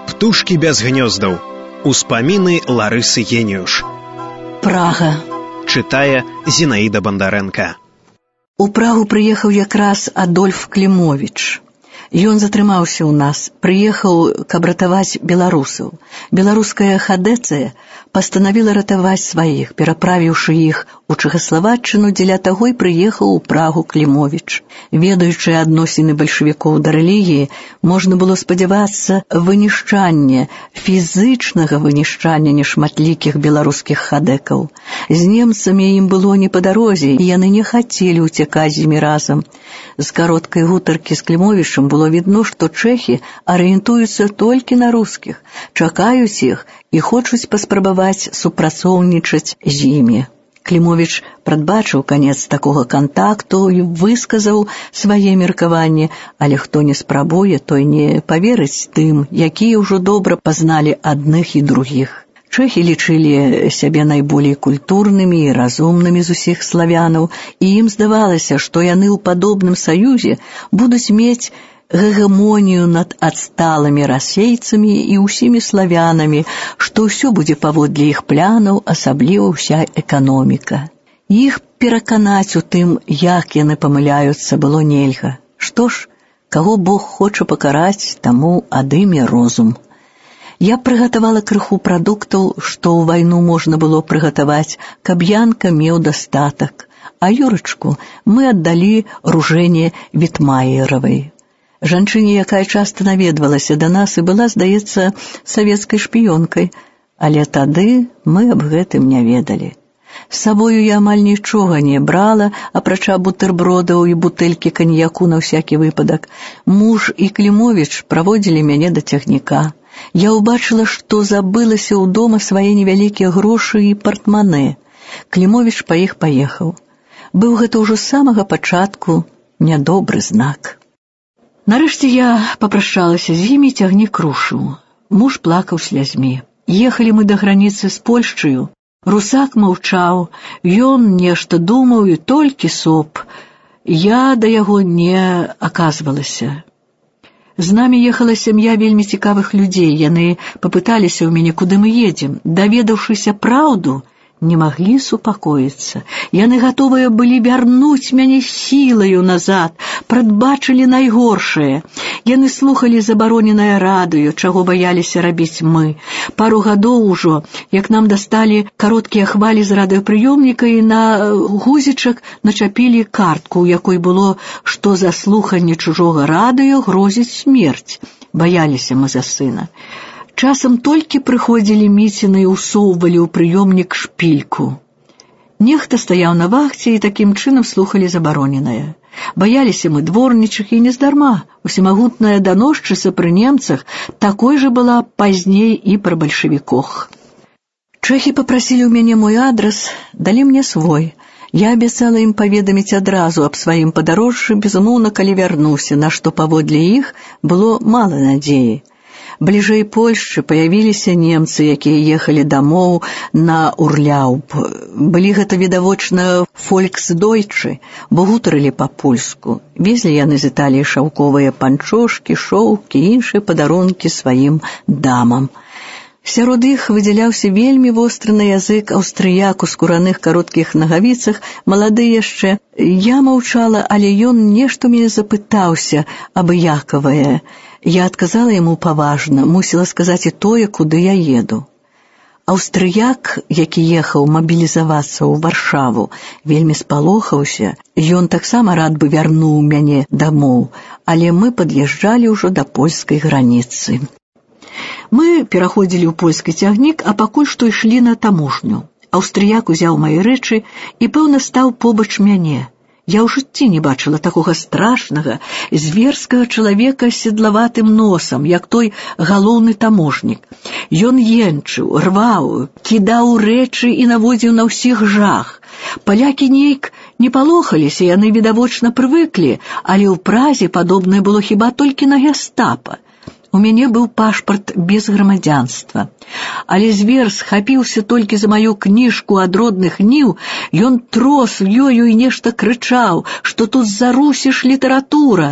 Птушкі без гнёздаў. Успаміны Ларысы Геніюш. Прага. Чытае Зінаіда Бандарэнка. У Прагу прыехаў якраз Адольф Клімовіч. Ён затрымаўся ў нас, прыехаў, каб ратаваць беларусаў. Беларуская хадэцыя пастанавіла ратаваць сваіх, пераправіўшы іх у Чэхаславаччыну, дзеля таго і прыехаў у Прагу Клімовіч. Ведаючы адносіны бальшавікоў да рэлігіі, можна было спадзявацца вынішчання, фізычнага вынішчання нешматлікіх беларускіх хадэкаў. З немцамі ім было не па дарозе, і яны не хацелі ўцякаць з імі разам. З кароткай гутаркі з Клімовічам было відно, што чэхі арыентуюцца толькі на рускіх, чакаюць іх і хочуць паспрабаваць супрацоўнічаць з імі. Клімовіч прадбачыў канец такога кантакту і высказаў свае меркаванні, але хто не спрабуе, той не паверыць тым, якія ўжо добра пазналі адных і другіх. Чэхі лічылі сябе найболей культурнымі і разумнымі з усіх славянаў, і ім здавалася, што яны ў падобным саюзе будуць мець гегемонію над адсталымі расейцамі і ўсімі славянамі, што ўсё будзе паводле іх планаў, асабліва ўся эканоміка. Іх пераканаць у тым, як яны памыляюцца, было нельга. Што ж, каго Бог хоча пакараць, таму адыме розум. Я прыгатавала крыху прадуктаў, што ў вайну можна было прыгатаваць, каб Янка меў дастатак, а Юрачку мы аддалі Ружэне Вітмаеравай. Жанчыне, якая часта наведвалася да нас і была, здаецца, савецкай шпіёнкай, але тады мы аб гэтым не ведалі. З сабою я амаль нічога не брала, апрача бутэрбродаў і бутэлькі каньяку на ўсякі выпадак. Муж і Клімовіч праводзілі мяне да цягніка. Я ўбачыла, што забылася ў дома свае невялікія грошы і партманэ. Клімовіч па іх паехаў. Быў гэта ўжо з самага пачатку нядобры знак. Нарэшце я папрашалася з імі, цягнік рушыў. Муж плакаў слязьмі. Ехалі мы да граніцы з Польшчаю. Русак маўчаў, ён нешта думаў і толькі соп. Я да яго не аказвалася. З намі ехала сям'я вельмі цікавых людзей. Яны папыталіся ў мяне, куды мы едзем. Даведаўшыся праўду, не маглі супакоіцца. Яны гатовыя былі вярнуць мяне сілаю назад, прадбачылі найгоршае. Яны слухалі забароненае радыё, чаго баяліся рабіць мы. Пару гадоў ужо, як нам дасталі кароткія хвалі з радыёпрыёмніка і на гузічак начапілі картку, у якой было, што за слуханне чужога радыё грозіць смерць. Баяліся мы за сына. Часам толькі прыходзілі міціны і ўсоўвалі ў прыёмнік шпільку. Нехта стаяў на вахце і такім чынам слухалі забароненае. Баяліся мы дворнічых і нездарма. Усемагутная даносчыца пры немцах такой жа была пазней і пры бальшавіках. Чэхі папрасілі ў мяне мой адрас, далі мне свой. Я абяцала ім паведаміць адразу аб сваім падарожжы, безумоўна, калі вярнуся, на што паводле іх было мала надзеі. Бліжэй Польшчы паявіліся немцы, якія ехалі дамоў на Урляўб. Былі гэта відавочна фольксдойчы, бо гутарылі па-польску. Везлі яны з Італіі шаўковыя панчошкі, шоўкі і іншыя падарункі сваім дамам. Сярод іх выдзяляўся вельмі востры на язык аўстрыяк у скураных кароткіх нагавіцах, малады яшчэ. Я маўчала, але ён нешта мяне запытаўся абыякавае. Я адказала яму паважна, мусіла сказаць і тое, куды я еду. Аўстрыяк, які ехаў мабілізавацца ў Варшаву, вельмі спалохаўся. Ён таксама рад бы вярнуў мяне дамоў, але мы пад'язджалі ўжо да польскай граніцы. Мы пераходзілі ў польскі цягнік, а пакуль што ішлі на таможню. Аўстрыяк узяў мае рэчы і, пэўна, стаў побач мяне. Я ў жыцці не бачыла такога страшнага, зверскага чалавека з седлаватым носам, як той галоўны таможнік. Ён енчыў, рваў, кідаў рэчы і наводзіў на ўсіх жах. Палякі нейк не палохаліся, яны відавочна прывыклі, але ў Празе падобнае было хіба толькі на гестапа. У мяне быў пашпарт без грамадзянства. Але звер схапіўся толькі за маю кніжку ад родных ніў, ён трос ёю і нешта крычаў, што тут зарусіш літаратура.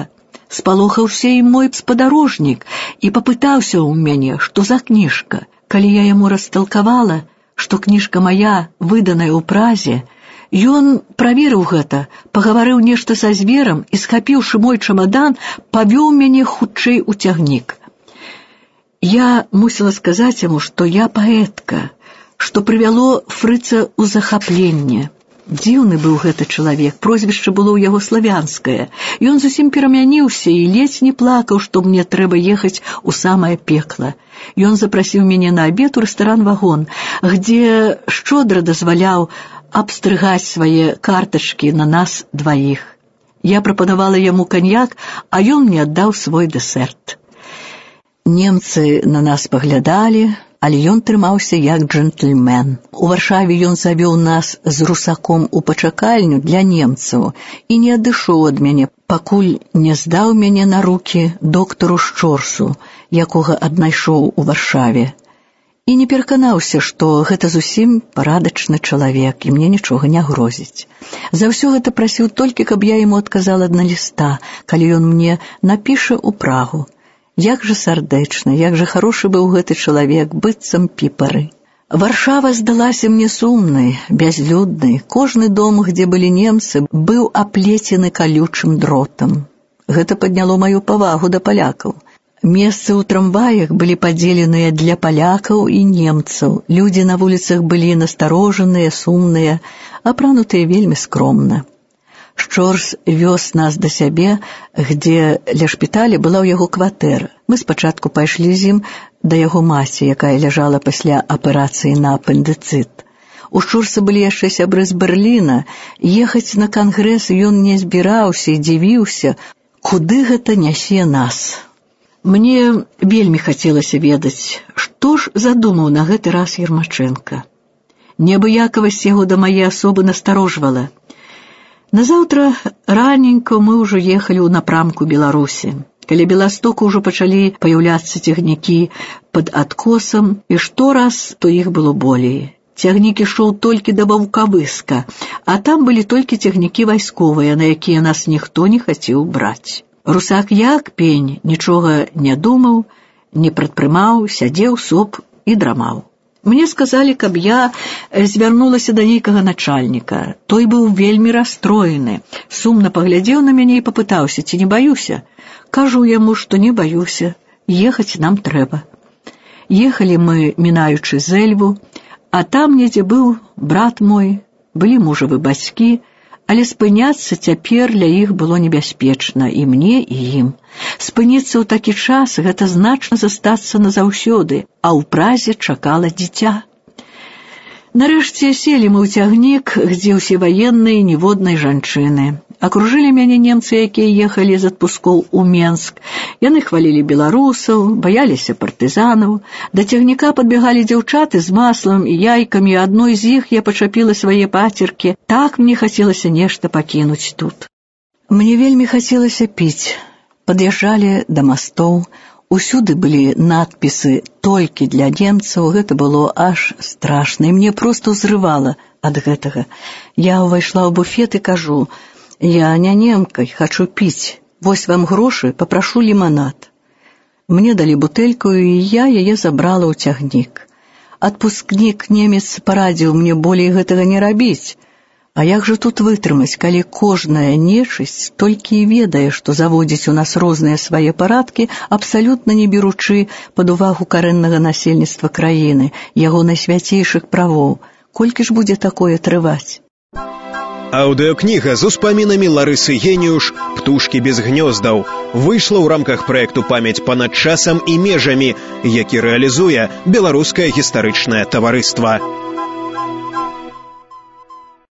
Спалохаўся і мой спадарожнік і папытаўся ў мяне, што за кніжка. Калі я яму расталкавала, што кніжка мая, выданая ў Празе, ён праверыў гэта, пагаварыў нешта са зверам і, схапіўшы мой чамадан, павёў мяне хутчэй у цягнік. Я мусіла сказаць яму, што я паэтка, што прывяло фрыца ў захапленне. Дзіўны быў гэты чалавек, прозвішча было ў яго славянскае. Ён зусім перамяніўся і ледзь не плакаў, што мне трэба ехаць у самае пекла. Ён запрасіў мяне на абед у рэстаран-вагон, где шчодра дазваляў абстрыгаць свае картачкі на нас дваіх. Я прапанавала яму каньяк, а ён мне аддаў свой дэсерт. Немцы на нас паглядалі, але ён трымаўся як джентльмен. У Варшаве ён завёў нас з русаком у пачакальню для немцаў і не адышоў ад мяне, пакуль не здаў мяне на рукі доктару Шчорсу, якога аднайшоў у Варшаве. І не пераканаўся, што гэта зусім парадачны чалавек, і мне нічога не грозіць. За ўсё гэта прасіў толькі, каб я яму адказала на ліста, калі ён мне напіша ў Прагу. Як жа сардэчна, як жа харошы быў гэты чалавек, быццам піпары. Варшава здалася мне сумнай, бязлюднай. Кожны дом, где былі немцы, быў аплецены калючым дротам. Гэта падняло маю павагу да палякаў. Месцы ў трамваях былі падзеленыя для палякаў і немцаў. Людзі на вуліцах былі насторожаныя, сумныя, апранутыя вельмі скромна. Шчорс вёз нас да сябе, где ля шпіталя была ў яго кватэра. Мы спачатку пайшлі з ім да яго маці, якая ляжала пасля аперацыі на апендыцыт. У Шчорса былі яшчэ сябры з Берліна. Ехаць на кангрэс ён не збіраўся і дзівіўся, куды гэта нясе нас. Мне вельмі хацелася ведаць, што ж задумаў на гэты раз Ермачэнка. Неабыякавасць яго да мае асобы насторожвала. Назаўтра раненько мы ўжо ехалі ў напрамку Беларусі. Каля Беластоку ўжо пачалі паяўляцца цягнікі пад адкосам, і штораз то іх было болей. Цягнік ішоў толькі да Баўкавыска, а там былі толькі цягнікі вайсковыя, на якія нас ніхто не хацеў браць. Русак як пень, нічога не думаў, не прадпрымаў, сядзеў соп і драмаў. Мне сказалі, каб я звярнулася да нейкага начальніка. Той быў вельмі расстроены. Сумна паглядзеў на мяне і папытаўся, ці не баюся. Кажу яму, што не баюся, ехаць нам трэба. Ехалі мы, мінаючы Зэльву, а там недзе быў брат мой, былі мужавы бацькі, але спыняцца цяпер для іх было небяспечна, і мне, і ім. Спыніцца ў такі час — гэта значна застацца назаўсёды, а ў Празе чакала дзіця. Нарэшце селі мы ў цягнік, где ўсе ваенныя, ніводнай жанчыны. Акружылі мяне немцы, якія ехалі з адпускоў у Менск. Яны хвалілі беларусаў, баяліся партызанаў. Да цягніка падбягалі дзяўчаты з маслам і яйкамі, адной з іх я пачапіла свае пацеркі. Так мне хацелася нешта пакінуць тут. Мне вельмі хацелася піць. Пад'язджалі да мастоў. Усюды былі надпісы «Толькі для немцаў». Гэта было аж страшна, і мне проста ўзрывала ад гэтага. Я ўвайшла ў буфет і кажу: «Я не немкай, хачу піць. Вось вам грошы, папрашу ліманад». Мне далі бутэльку, і я яе забрала ў цягнік. Адпускнік немец парадзіў мне болей гэтага не рабіць. А як жа тут вытрымаць, калі кожная нечысць толькі і ведае, што заводзіць у нас розныя свае парадкі, абсалютна не беручы пад увагу карэннага насельніцтва краіны, яго найсвяцейшых правоў. Колькі ж будзе такое трываць? Аўдыёкніга з успамінамі Ларысы Геніюш «Птушкі без гнёздаў» выйшла ў рамках праекту «Памяць панад часам і межамі», які рэалізуе Беларускае гістарычнае таварыства.